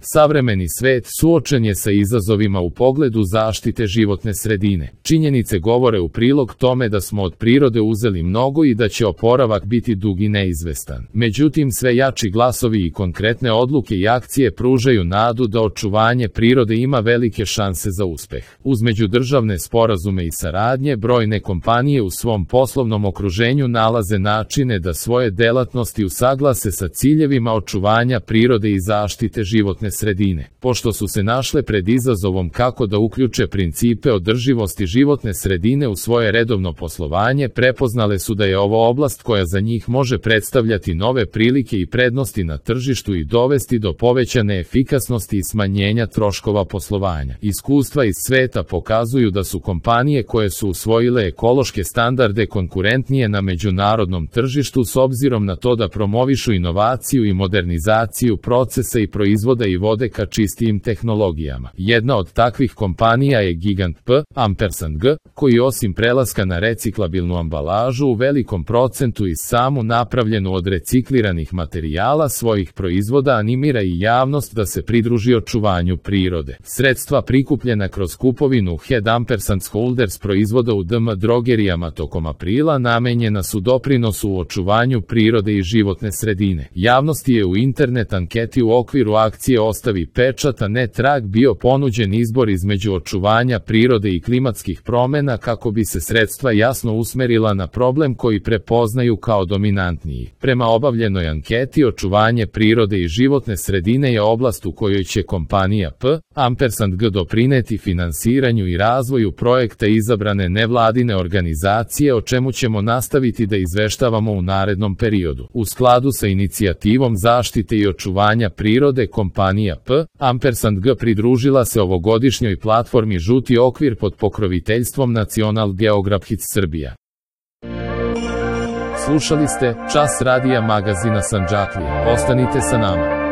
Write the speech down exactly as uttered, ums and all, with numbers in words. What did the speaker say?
Savremeni svet suočen je sa izazovima u pogledu zaštite životne sredine. Činjenice govore u prilog tome da smo od prirode uzeli mnogo i da će oporavak biti dug i neizvestan. Međutim, sve jači glasovi i konkretne odluke i akcije pružaju nadu da očuvanje prirode ima velike šanse za uspeh. Uz međudržavne sporazume i saradnje, brojne kompanije u svom poslovnom okruženju nalaze načine da svoje delatnosti usaglase sa ciljevima očuvanja prirode i zaštite životne sredine. Pošto su se našle pred izazovom kako da uključe principe održivosti životne sredine u svoje redovno poslovanje, prepoznale su da je ovo oblast koja za njih može predstavljati nove prilike i prednosti na tržištu i dovesti do povećane efikasnosti i smanjenja troškova poslovanja. Iskustva iz sveta pokazuju da su kompanije koje su usvojile ekološke standarde konkurentnije na međunarodnom tržištu s obzirom na to da promovišu inovaciju i modernizaciju procesa i proizvoda i vode ka čistijim tehnologijama. Jedna od takvih kompanija je Gigant P, ampersand G, koji osim prelaska na reciklabilnu ambalažu u velikom procentu i samu napravljenu od recikliranih materijala svojih proizvoda animira i javnost da se pridruži očuvanju prirode. Sredstva prikupljena kroz kupovinu Head Ampersand Holders proizvoda u D M drogerijama tokom aprila namenjena su doprinosu u očuvanju prirode i životne sredine. Javnosti je u internet anketi u okviru akcije Ostavi pečat, a ne trag bio ponuđen izbor između očuvanja prirode i klimatskih promena kako bi se sredstva jasno usmerila na problem koji prepoznaju kao dominantniji. Prema obavljenoj anketi, očuvanje prirode i životne sredine je oblast u kojoj će kompanija P, ampersand G doprineti finansiranju i razvoju projekta izabrane nevladine organizacije, o čemu ćemo nastaviti da izveštavamo u narednom periodu. U skladu sa inicijativom zaštite i očuvanja prirode, kompanija P, ampersand G pridružila se ovogodišnjoj platformi Žuti okvir pod pokroviteljstvom Nacional Geographic Srbija. Slušali ste Čas radija magazina Sandžaklije. Ostanite sa nama.